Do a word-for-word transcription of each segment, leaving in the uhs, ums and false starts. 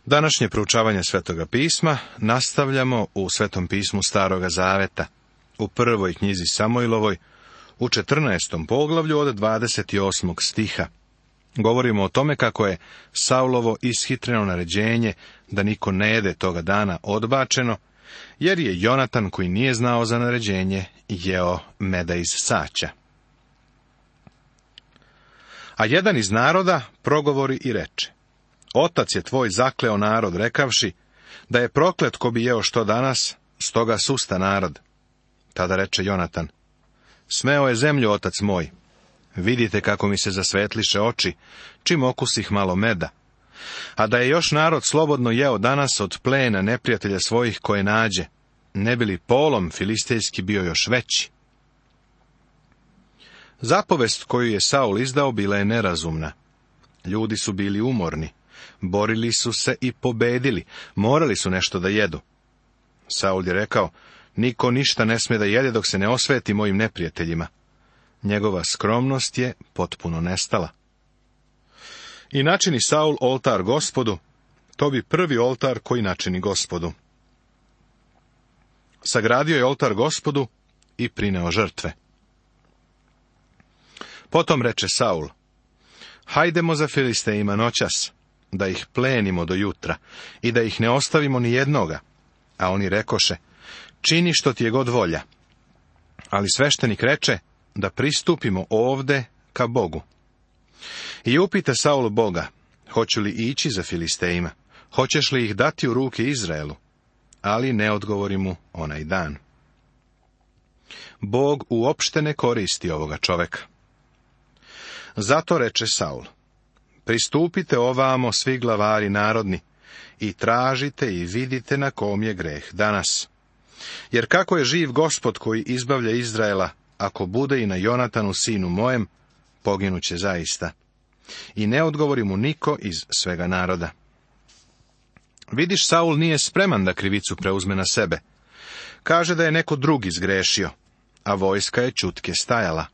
Današnje proučavanje Svetoga pisma nastavljamo u Svetom pismu Staroga Zaveta, u prvoj knjizi Samojlovoj, u četrnaestom poglavlju od dvadeset osmog stiha. Govorimo o tome kako je Saulovo ishitreno naređenje da niko ne jede toga dana odbačeno, jer je Jonatan, koji nije znao za naređenje, jeo meda iz saća. A jedan iz naroda progovori i reče: Otac je tvoj zakleo narod, rekavši da je proklet ko bi jeo što danas, stoga susta narod. Tada reče Jonatan: Smeo je zemlju, otac moj. Vidite kako mi se zasvetliše oči, čim okusih malo meda. A da je još narod slobodno jeo danas od plena neprijatelja svojih koje nađe, ne bi li polom filistejski bio još veći. Zapovest koju je Saul izdao bila je nerazumna. Ljudi su bili umorni, borili su se i pobedili, morali su nešto da jedu. Saul je rekao: Niko ništa ne sme da jede dok se ne osveti mojim neprijateljima. Njegova skromnost je potpuno nestala. I načini Saul oltar Gospodu, to bi prvi oltar koji načini Gospodu. Sagradio je oltar Gospodu i prineo žrtve. Potom reče Saul: Hajdemo za Filistejima noćas, da ih plenimo do jutra i da ih ne ostavimo ni jednoga. A oni rekoše: Čini što ti je god volja. Ali sveštenik reče da pristupimo ovde ka Bogu. I upita Saul Boga: Hoću li ići za Filistejima? Hoćeš li ih dati u ruke Izraelu? Ali ne odgovori mu onaj dan. Bog uopšte ne koristi ovoga čoveka. Zato reče Saul: Pristupite ovamo svi glavari narodni i tražite i vidite na kom je greh danas. Jer kako je živ Gospod koji izbavlja Izraela, ako bude i na Jonatanu sinu mojem, poginuće zaista. I ne odgovori mu niko iz svega naroda. Vidiš, Saul nije spreman da krivicu preuzme na sebe. Kaže da je neko drugi zgrešio, a vojska je ćutke stajala.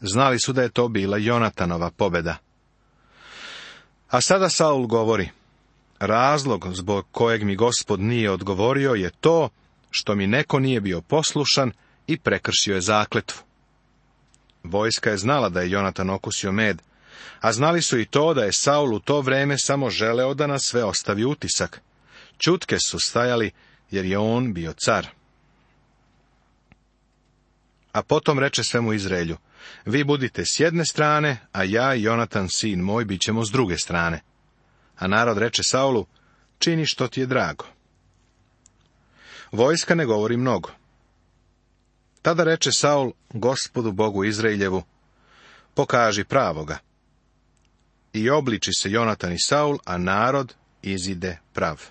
Znali su da je to bila Jonatanova pobjeda. A sada Saul govori: Razlog zbog kojeg mi Gospod nije odgovorio je to što mi neko nije bio poslušan i prekršio je zakletvu. Vojska je znala da je Jonatan okusio med, a znali su i to da je Saul u to vreme samo želeo da na sve ostavi utisak. Ćutke su stajali jer je on bio car. A potom reče svemu Izraelju: Vi budite s jedne strane, a ja i Jonatan sin moj bit ćemo s druge strane. A narod reče Saulu: Čini što ti je drago. Vojska ne govori mnogo. Tada reče Saul Gospodu Bogu Izraeljevu: Pokaži pravoga. I obliči se Jonatan i Saul, a narod izide prav.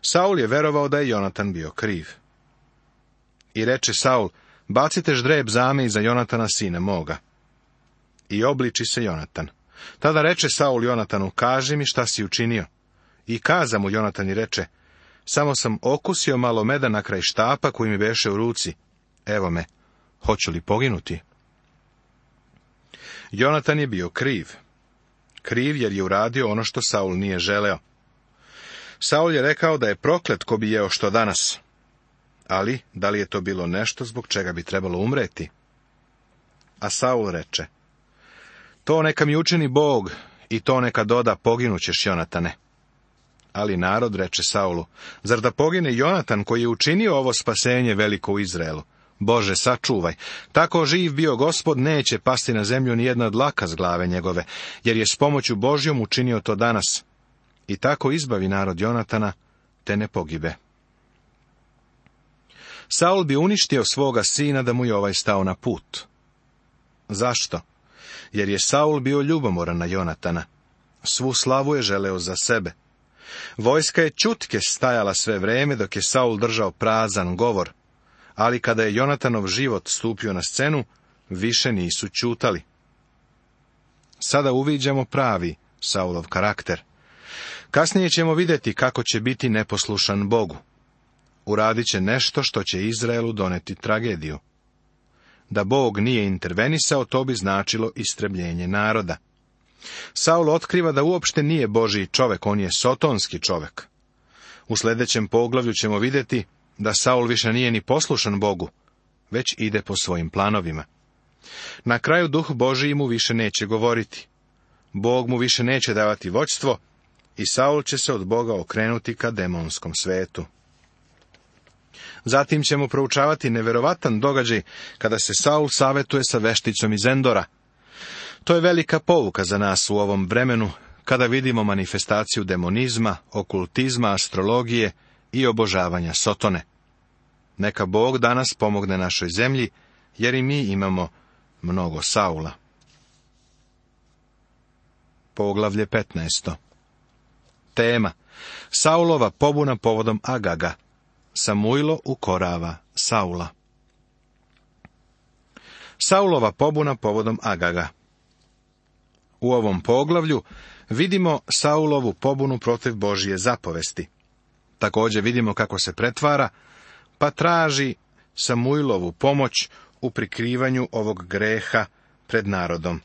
Saul je verovao da je Jonatan bio kriv. I reče Saul: Bacite ždreb zame iza Jonatana sina moga. I obliči se Jonatan. Tada reče Saul Jonatanu: Kaži mi šta si učinio. I kaza mu Jonatan i reče: Samo sam okusio malo meda na kraj štapa koji mi beše u ruci. Evo me, hoću li poginuti? Jonatan je bio kriv. Kriv jer je uradio ono što Saul nije želeo. Saul je rekao da je proklet ko bi jeo što danas. Ali, da li je to bilo nešto zbog čega bi trebalo umreti? A Saul reče: To neka mi učini Bog i to neka doda, poginućeš, Jonatane. Ali narod reče Saulu: Zar da pogine Jonatan koji je učinio ovo spasenje veliko u Izraelu? Bože, sačuvaj, tako živ bio Gospod, neće pasti na zemlju ni jedna dlaka s glave njegove, jer je s pomoću Božjom učinio to danas. I tako izbavi narod Jonatana, te ne pogibe. Saul bi uništio svoga sina da mu je ovaj stao na put. Zašto? Jer je Saul bio ljubomoran na Jonatana. Svu slavu je želeo za sebe. Vojska je ćutke stajala sve vreme dok je Saul držao prazan govor, ali kada je Jonatanov život stupio na scenu, više nisu ćutali. Sada uviđamo pravi Saulov karakter. Kasnije ćemo vidjeti kako će biti neposlušan Bogu. Uradit će nešto što će Izraelu doneti tragediju. Da Bog nije intervenisao, to bi značilo istrebljenje naroda. Saul otkriva da uopšte nije Božji čovek, on je sotonski čovek. U sljedećem poglavlju ćemo vidjeti da Saul više nije ni poslušan Bogu, već ide po svojim planovima. Na kraju Duh Božji mu više neće govoriti. Bog mu više neće davati vođstvo i Saul će se od Boga okrenuti ka demonskom svetu. Zatim ćemo proučavati neverovatan događaj kada se Saul savjetuje sa vešticom iz Endora. To je velika pouka za nas u ovom vremenu, kada vidimo manifestaciju demonizma, okultizma, astrologije i obožavanja Sotone. Neka Bog danas pomogne našoj zemlji, jer i mi imamo mnogo Saula. Poglavlje petnaesto. Tema: Saulova pobuna povodom Agaga. Samuilo ukorava Saula. Saulova pobuna povodom Agaga. U ovom poglavlju vidimo Saulovu pobunu protiv Božje zapovesti. Također vidimo kako se pretvara, pa traži Samuilovu pomoć u prikrivanju ovog greha pred narodom.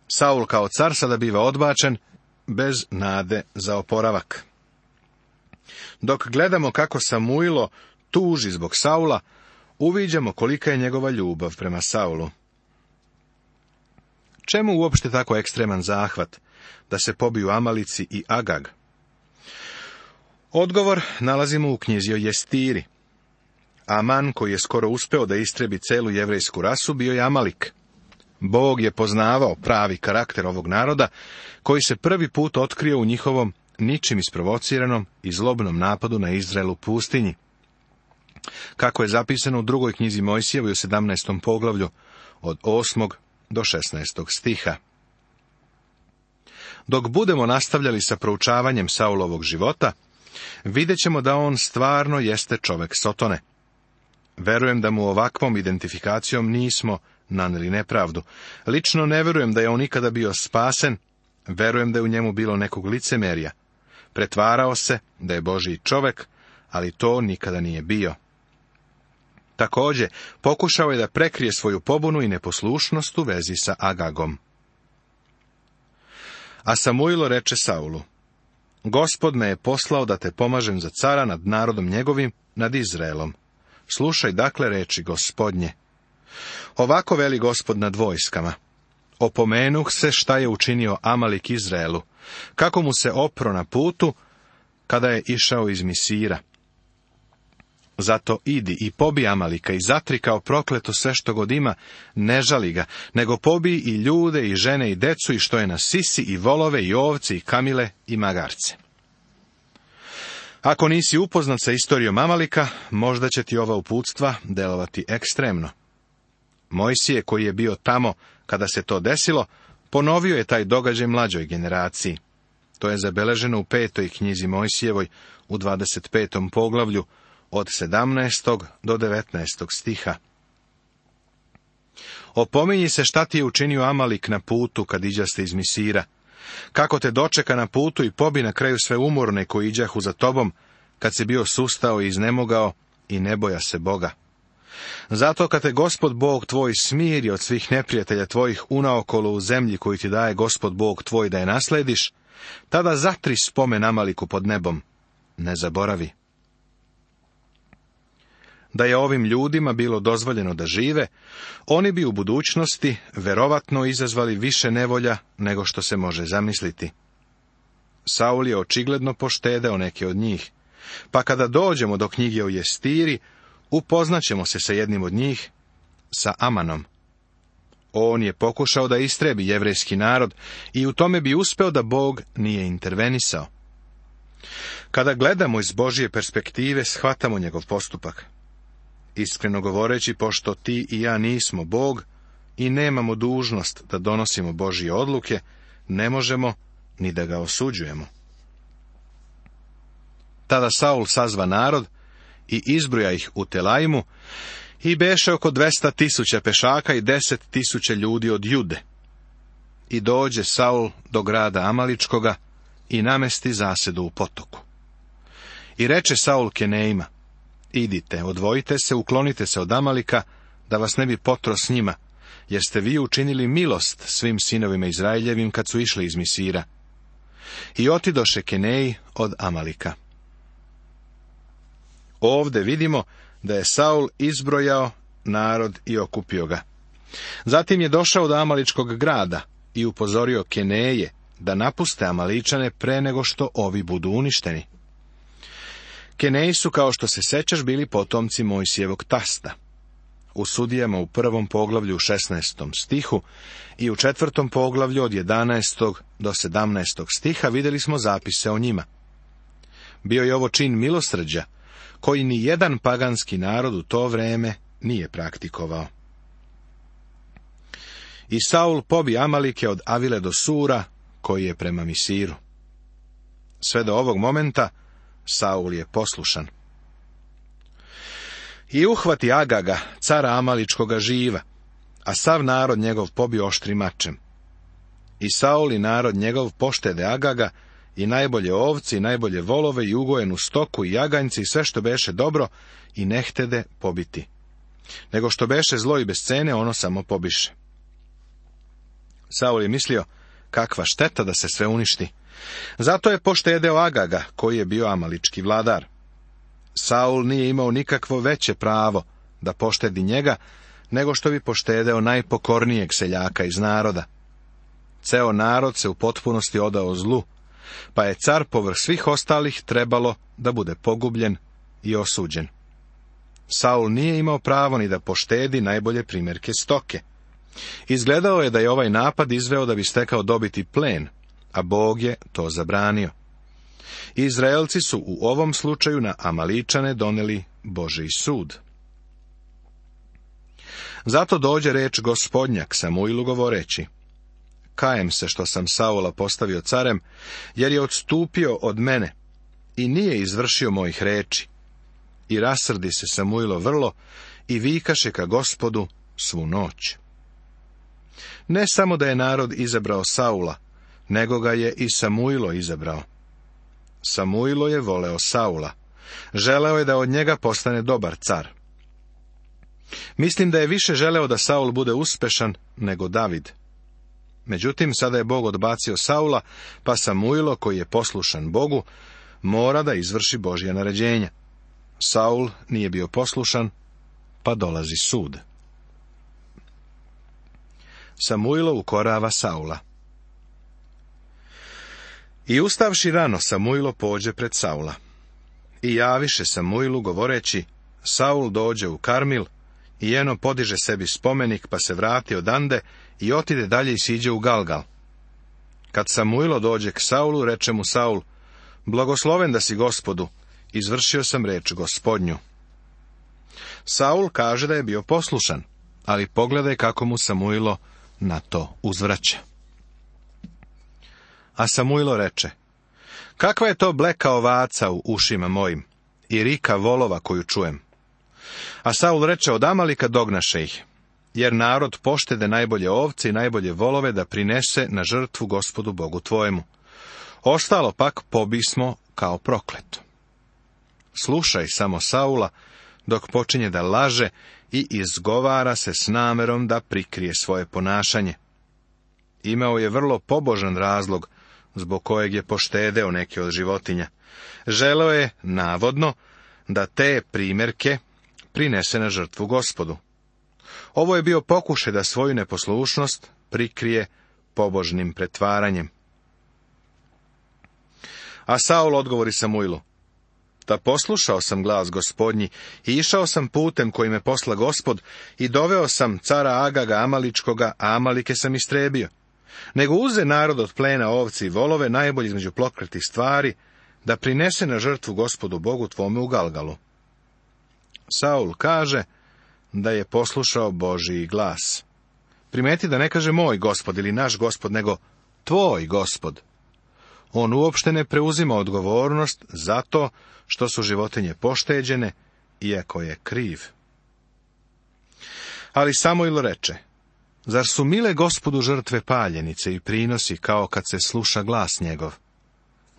Saul kao car sada biva odbačen, bez nade za oporavak. Dok gledamo kako Samuilo tuži zbog Saula, uviđamo kolika je njegova ljubav prema Saulu. Čemu uopšte tako ekstreman zahvat da se pobiju Amalici i Agag? Odgovor nalazimo u knjizi o Jestiri. Aman, koji je skoro uspeo da istrebi celu jevrejsku rasu, bio je Amalik. Bog je poznavao pravi karakter ovog naroda, koji se prvi put otkrio u njihovom ničim isprovociranom i zlobnom napadu na Izrael u pustinji. Kako je zapisano u drugoj knjizi Mojsijevoj u sedamnaestom poglavlju, od osmog do šesnaestog stiha. Dok budemo nastavljali sa proučavanjem Saulovog života, vidjet ćemo da on stvarno jeste čovek Sotone. Verujem da mu ovakvom identifikacijom nismo naneli nepravdu. Lično ne verujem da je on ikada bio spasen, verujem da je u njemu bilo nekog licemerja. Pretvarao se da je Božji čovek, ali to nikada nije bio. Također, pokušao je da prekrije svoju pobunu i neposlušnost u vezi sa Agagom. A Samuilo reče Saulu: Gospod me je poslao da te pomažem za cara nad narodom njegovim, nad Izraelom. Slušaj dakle reči Gospodnje. Ovako veli Gospod nad vojskama: Opomenuh se šta je učinio Amalik Izraelu, kako mu se opro na putu, kada je išao iz Misira. Zato idi i pobi Amalika i zatri kao prokleto sve što god ima, ne žali ga, nego pobi i ljude i žene i decu i što je na sisi i volove i ovce i kamile i magarce. Ako nisi upoznat sa istorijom Amalika, možda će ti ova uputstva delovati ekstremno. Mojsije, koji je bio tamo kada se to desilo, ponovio je taj događaj mlađoj generaciji. To je zabeleženo u petoj knjizi Mojsijevoj u dvadeset petom poglavlju od sedamnaestog do devetnaestog stiha. Opominji se šta ti je učinio Amalik na putu kad iđaste iz Misira, kako te dočeka na putu i pobi na kraju sve umorne koji iđahu za tobom, kad si bio sustao i iznemogao i ne boja se Boga. Zato kad te Gospod Bog tvoj smiri od svih neprijatelja tvojih unaokolo u zemlji koju ti daje Gospod Bog tvoj da je naslediš, tada zatri spomen Amaliku pod nebom, ne zaboravi. Da je ovim ljudima bilo dozvoljeno da žive, oni bi u budućnosti verovatno izazvali više nevolja nego što se može zamisliti. Saul je očigledno poštedeo neke od njih, pa kada dođemo do knjige o Jestiri, upoznaćemo se sa jednim od njih, sa Amanom. On je pokušao da istrebi jevrejski narod i u tome bi uspeo da Bog nije intervenisao. Kada gledamo iz Božje perspektive, shvatamo njegov postupak. Iskreno govoreći, pošto ti i ja nismo Bog i nemamo dužnost da donosimo Božje odluke, ne možemo ni da ga osuđujemo. Tada Saul sazva narod i izbroja ih u Telaimu i beše oko dvesta tisuća pešaka i deset tisuća ljudi od Jude. I dođe Saul do grada Amaličkoga i namesti zasedu u potoku. I reče Saul Kenejima: idite, odvojite se, uklonite se od Amalika, da vas ne bi potro s njima, jer ste vi učinili milost svim sinovima Izraeljevim kad su išli iz Misira. I otidoše Keneji od Amalika. Ovde vidimo da je Saul izbrojao narod i okupio ga. Zatim je došao do Amaličkog grada i upozorio Keneje da napuste Amaličane pre nego što ovi budu uništeni. Keneji su, kao što se sećaš, bili potomci Mojsijevog tasta. U Sudijama u prvom poglavlju u šesnaestom stihu i u četvrtom poglavlju od jedanaestog do sedamnaestog stiha vidjeli smo zapise o njima. Bio je ovo čin milosrđa, koji ni jedan paganski narod u to vreme nije praktikovao. I Saul pobi Amalike od Avile do Sura, koji je prema Misiru. Sve do ovog momenta Saul je poslušan. I uhvati Agaga, cara Amaličkoga živa, a sav narod njegov pobi oštrim mačem. I Saul i narod njegov poštede Agaga, i najbolje ovci, i najbolje volove, i ugojenu stoku, i jaganjci, i sve što beše dobro, i ne htede pobiti. Nego što beše zlo i bez cene, ono samo pobiše. Saul je mislio, kakva šteta da se sve uništi. Zato je poštedeo Agaga, koji je bio amalički vladar. Saul nije imao nikakvo veće pravo da poštedi njega, nego što bi poštedeo najpokornijeg seljaka iz naroda. Ceo narod se u potpunosti odao zlu, pa je car povrh svih ostalih trebalo da bude pogubljen i osuđen. Saul nije imao pravo ni da poštedi najbolje primjerke stoke. Izgledao je da je ovaj napad izveo da bi stekao dobiti plen, a Bog je to zabranio. Izraelci su u ovom slučaju na Amaličane doneli Božji sud. Zato dođe reč Gospodnja k Samuilu govoreći: Kajem se što sam Saula postavio carem, jer je odstupio od mene i nije izvršio mojih reči. I rasrdi se Samuilo vrlo i vikaše ka Gospodu svu noć. Ne samo da je narod izabrao Saula, nego ga je i Samuilo izabrao. Samuilo je voleo Saula. Želeo je da od njega postane dobar car. Mislim da je više želeo da Saul bude uspešan nego David. Međutim, sada je Bog odbacio Saula, pa Samuilo, koji je poslušan Bogu, mora da izvrši Božja naređenja. Saul nije bio poslušan, pa dolazi sud. Samuilo ukorava Saula. I ustavši rano, Samuilo pođe pred Saula. I javiše Samuilu govoreći: Saul dođe u Karmil, i eno podiže sebi spomenik, pa se vrati odande i otide dalje i siđe u Galgal. Kad Samuilo dođe k Saulu, reče mu Saul: Blagosloven da si Gospodu, izvršio sam reč Gospodnju. Saul kaže da je bio poslušan, ali pogledaj kako mu Samuilo na to uzvraća. A Samuilo reče: Kakva je to bleka ovaca u ušima mojim i rika volova koju čujem? A Saul reče: Od Amalika dognaše ih, jer narod poštede najbolje ovce i najbolje volove da prinese na žrtvu Gospodu Bogu tvojemu. Ostalo pak pobismo kao prokleto. Slušaj samo Saula, dok počinje da laže i izgovara se s namerom da prikrije svoje ponašanje. Imao je vrlo pobožan razlog zbog kojeg je poštedeo neke od životinja. Želeo je, navodno, da te primjerke prinese na žrtvu Gospodu. Ovo je bio pokušaj da svoju neposlušnost prikrije pobožnim pretvaranjem. A Saul odgovori Samuilu: Da poslušao sam glas Gospodnji i išao sam putem koji me posla Gospod i doveo sam cara Agaga Amaličkoga, a Amalike sam istrebio. Nego uze narod od plena ovci i volove, najbolji između prokletih stvari, da prinese na žrtvu Gospodu Bogu tvome u Galgalu. Saul kaže da je poslušao Božji glas. Primeti da ne kaže moj Gospod ili naš Gospod, nego tvoj Gospod. On uopšte ne preuzima odgovornost zato što su životinje pošteđene, iako je kriv. Ali Samuil reče: Zar su mile Gospodu žrtve paljenice i prinosi kao kad se sluša glas njegov?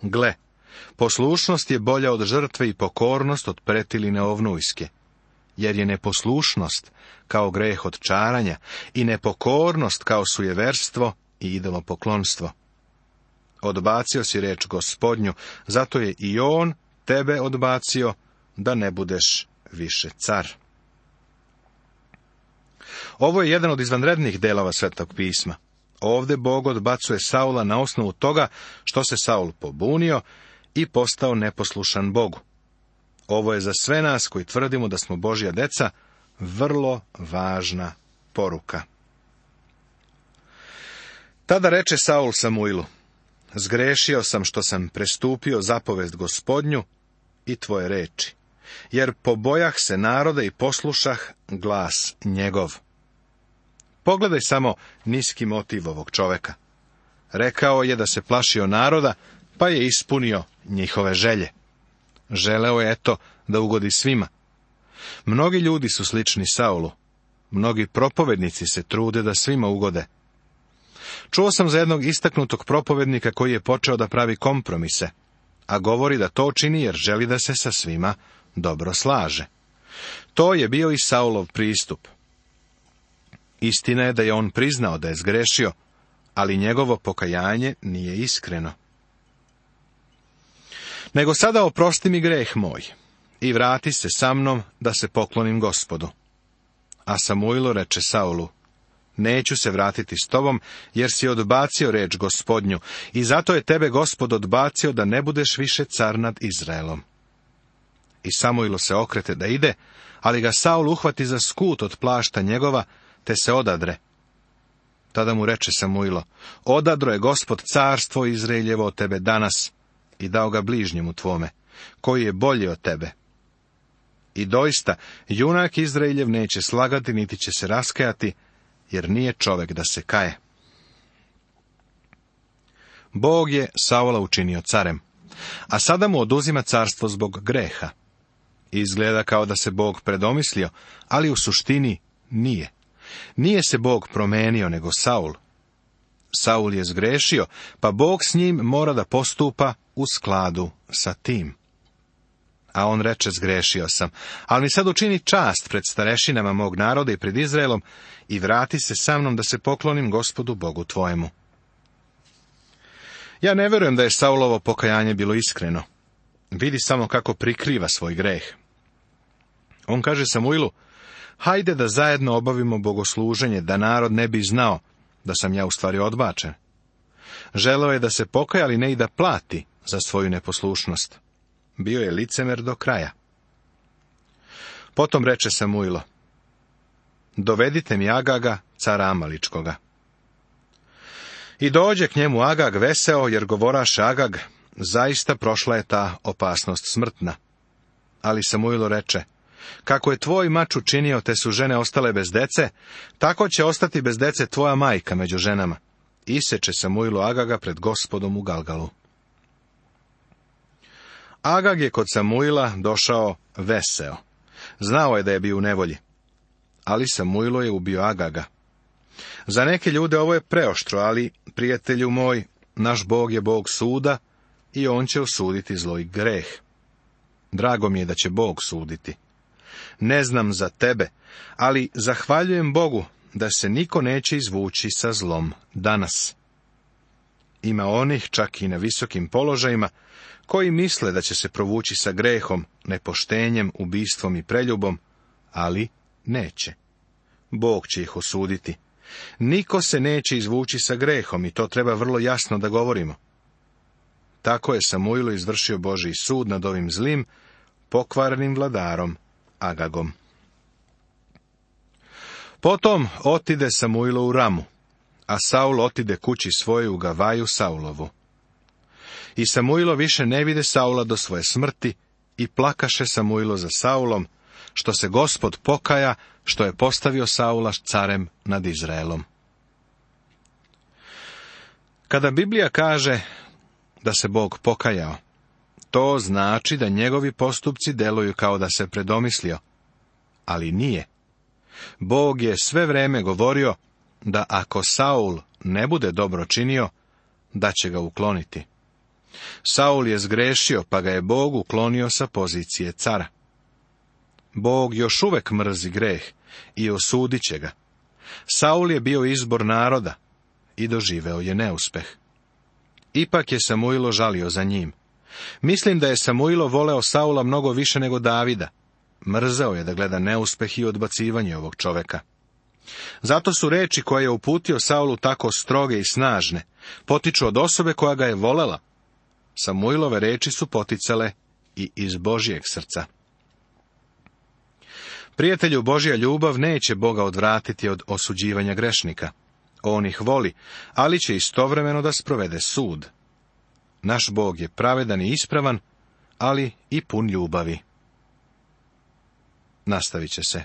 Gle, poslušnost je bolja od žrtve i pokornost od pretiline ovnujske. jer je neposlušnost kao greh od čaranja i nepokornost kao sujeverstvo i idolopoklonstvo. Odbacio si reč Gospodnju, zato je i on tebe odbacio, da ne budeš više car. Ovo je jedan od izvanrednih delova Svetog pisma. Ovde Bog odbacuje Saula na osnovu toga što se Saul pobunio i postao neposlušan Bogu. Ovo je za sve nas koji tvrdimo da smo Božja deca vrlo važna poruka. Tada reče Saul Samuilu: zgrešio sam što sam prestupio zapovest Gospodnju i tvoje reči, jer pobojah se naroda i poslušah glas njegov. Pogledaj samo niski motiv ovog čoveka. Rekao je da se plašio naroda, pa je ispunio njihove želje. Želeo je, eto, da ugodi svima. Mnogi ljudi su slični Saulu. Mnogi propovednici se trude da svima ugode. Čuo sam za jednog istaknutog propovednika koji je počeo da pravi kompromise, a govori da to čini jer želi da se sa svima dobro slaže. To je bio i Saulov pristup. Istina je da je on priznao da je zgrešio, ali njegovo pokajanje nije iskreno. Nego sada oprosti mi greh moj i vrati se sa mnom da se poklonim Gospodu. A Samuilo reče Saulu: neću se vratiti s tobom, jer si odbacio reč Gospodnju, i zato je tebe Gospod odbacio da ne budeš više car nad Izraelom. I Samuilo se okrete da ide, ali ga Saul uhvati za skut od plašta njegova, te se odadre. Tada mu reče Samuilo: odadro je Gospod carstvo Izraeljevo od tebe danas i dao ga bližnjemu tvome, koji je bolji od tebe. I doista, junak Izraeljev neće slagati, niti će se raskajati, jer nije čovek da se kaje. Bog je Saula učinio carem, a sada mu oduzima carstvo zbog greha. Izgleda kao da se Bog predomislio, ali u suštini nije. Nije se Bog promenio, nego Saul. Saul je zgrešio, pa Bog s njim mora da postupa u skladu sa tim. A on reče: zgrešio sam, ali mi sad učini čast pred starešinama mog naroda i pred Izraelom i vrati se sa mnom da se poklonim Gospodu Bogu tvojemu. Ja ne verujem da je Saulovo pokajanje bilo iskreno. Vidi samo kako prikriva svoj greh. On kaže Samuilu: hajde da zajedno obavimo bogosluženje, da narod ne bi znao da sam ja u stvari odbačen. Želeo je da se pokaja, ali ne i da plati za svoju neposlušnost. Bio je licemer do kraja. Potom reče Samuilo: dovedite mi Agaga, cara Amaličkoga. I dođe k njemu Agag veseo, jer govoraše Agag: zaista prošla je ta opasnost smrtna. Ali Samuilo reče: kako je tvoj mač učinio, te su žene ostale bez dece, tako će ostati bez dece tvoja majka među ženama. Iseče Samuilo Agaga pred Gospodom u Galgalu. Agag je kod Samuila došao veseo. Znao je da je bio u nevolji. Ali Samuilo je ubio Agaga. Za neke ljude ovo je preoštro, ali, prijatelju moj, naš Bog je Bog suda i on će osuditi zlo i greh. Drago mi je da će Bog suditi. Ne znam za tebe, ali zahvaljujem Bogu da se niko neće izvući sa zlom danas. Ima onih, čak i na visokim položajima, koji misle da će se provući sa grehom, nepoštenjem, ubistvom i preljubom, ali neće. Bog će ih osuditi. Niko se neće izvući sa grehom i to treba vrlo jasno da govorimo. Tako je Samuilo izvršio Božji sud nad ovim zlim, pokvarenim vladarom Agagom. Potom otide Samuilo u Ramu, a Saul otide kući svoje u Gavaju Saulovu. I Samuilo više ne vide Saula do svoje smrti i plakaše Samuilo za Saulom, što se Gospod pokaja, što je postavio Saula carem nad Izraelom. Kada Biblija kaže da se Bog pokajao, to znači da njegovi postupci deluju kao da se predomislio, ali nije. Bog je sve vreme govorio da ako Saul ne bude dobro činio, da će ga ukloniti. Saul je zgrešio, pa ga je Bog uklonio sa pozicije cara. Bog još uvek mrzi greh i osudit će ga. Saul je bio izbor naroda i doživeo je neuspeh. Ipak je Samuilo žalio za njim. Mislim da je Samuilo voleo Saula mnogo više nego Davida. Mrzeo je da gleda neuspeh i odbacivanje ovog čoveka. Zato su reči koje je uputio Saulu tako stroge i snažne, potiču od osobe koja ga je volela. Samuilove reči su poticale i iz Božjeg srca. Prijatelju, Božja ljubav neće Boga odvratiti od osuđivanja grešnika. On ih voli, ali će istovremeno da sprovede sud. Naš Bog je pravedan i ispravan, ali i pun ljubavi. Nastavit će se.